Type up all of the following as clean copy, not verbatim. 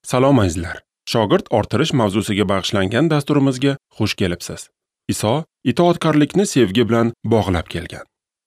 Salom azizlar. Shogird orttirish mavzusiga bag'ishlangan dasturimizga xush kelibsiz. Iso itoatkorlikni sevgi bilan bog'lab kelgan.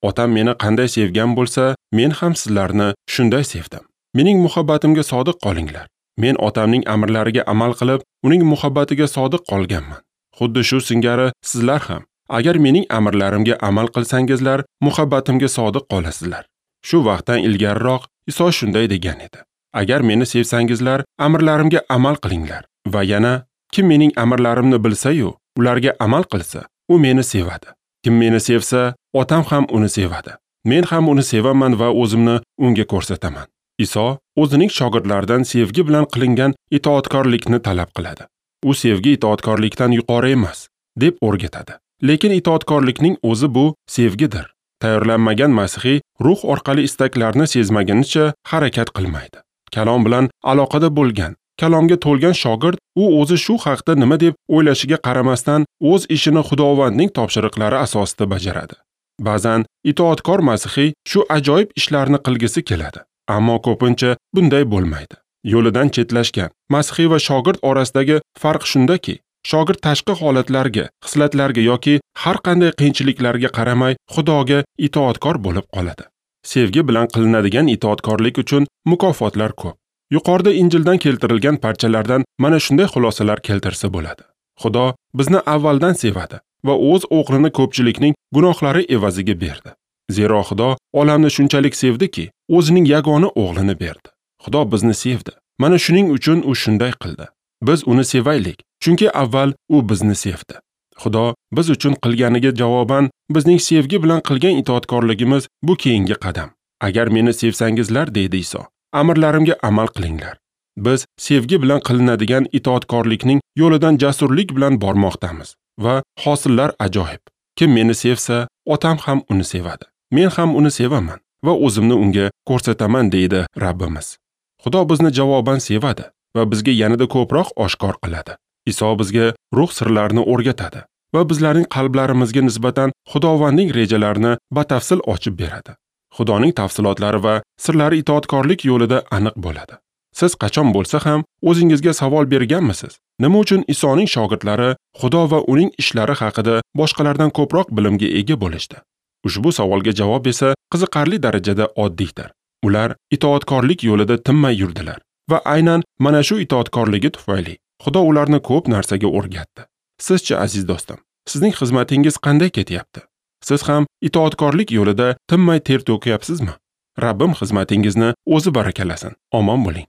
Otam meni qanday sevgan bo'lsa, men ham sizlarni shunday sevdim. Mening muhabbatimga sodiq qolinglar. Men otamning amrlariga amal qilib, uning muhabbatiga sodiq qolganman. Xuddi shu singari sizlar ham, agar mening amrlarimga amal qilsangizlar, muhabbatimga sodiq qolasizlar. Shu vaqtdan ilgariroq Iso shunday degan edi: Agar meni sevsangizlar, amrlarimga amal qilinglar. Va yana kim mening amrlarimni bilsa-yu, ularga amal qilsa, u meni sevadi. Kim meni sevsa, otam ham uni sevadi. Men ham uni sevaman va o'zimni unga ko'rsataman. Iso o'zining shogirdlaridan sevgi bilan qilingan itoatkorlikni talab qiladi. U sevgi itoatkorlikdan yuqori emas, deb o'rgatadi. Lekin itoatkorlikning o'zi bu sevgidir. Tayyorlanmagan masihiy ruh orqali istaklarni sezmagunicha harakat qilmaydi. Kalom bilan aloqada bo'lgan, kalomga to'lgan shogird u o'zi shu haqda nima deb o'ylashiga qaramasdan o'z ishini Xudovandning topshiriqlari asosida bajaradi. Ba'zan itoatkor masihiy shu ajoyib ishlarni qilgisi keladi, ammo ko'pincha bunday bo'lmaydi. Yo'lidan chetlashgan masihiy va shogird orasidagi farq shundaki, shogird tashqi holatlarga, xislatlarga yoki har qanday qiyinchiliklarga qaramay Xudoga itoatkor bo'lib qoladi. Sevgi bilan qilinadigan itoatkorlik uchun mukofotlar ko'p. Yuqorida Injildan keltirilgan parchalardan mana shunday xulosalar keltirsa bo'ladi. Xudo bizni avvaldan sevadi va o'z o'g'lini ko'pchilikning gunohlari evaziga berdi. Zero Xudo olamni shunchalik sevdiki, o'zining yagona o'g'lini berdi. Xudo bizni sevdi. Mana shuning uchun u shunday qildi. Biz uni sevaylik, chunki avval u bizni sevdi. Xudo biz uchun qilganiga javoban bizning sevgi bilan qilgan itoatkorligimiz bu keyingi qadam. Agar meni sevsangizlar, deydi Iso, amrlarimga amal qilinglar. Biz sevgi bilan qilinadigan itoatkorlikning yo'lidan jasurlik bilan bormoqdamiz va hosillar ajoyib. Kim meni sevsa, otam ham uni sevadi. Men ham uni sevaman va o'zimni unga ko'rsataman, deydi Rabbimiz. Xudo bizni javoban sevadi va bizga yanada ko'proq oshkor qiladi. Iso bizga ruh sirlarini o'rgatadi va bizlarning qalblarimizga nisbatan Xudovandning rejalarini batafsil ochib beradi. Xudoning tafsilotlari va sirlari itoatkorlik yo'lida aniq bo'ladi. Siz qachon bo'lsa ham o'zingizga savol berganmisiz? Nima uchun Isoning shogirdlari Xudo va uning ishlari haqida boshqalardan ko'proq bilimga ega bo'lishdi? Ushbu savolga javob esa qiziqarli darajada oddiydir. Ular itoatkorlik yo'lida tinmay yurdilar va aynan mana shu itoatkorligi tufayli Xudo ularni ko'p narsaga o'rgatdi. Sizchi, aziz do'stim, sizning xizmatingiz qanday ketyapti? Siz ham itoatkorlik yo'lida tinmay ter to'kyapsizmi? Rabbim xizmatingizni o'zi barakalasin. Omon bo'ling.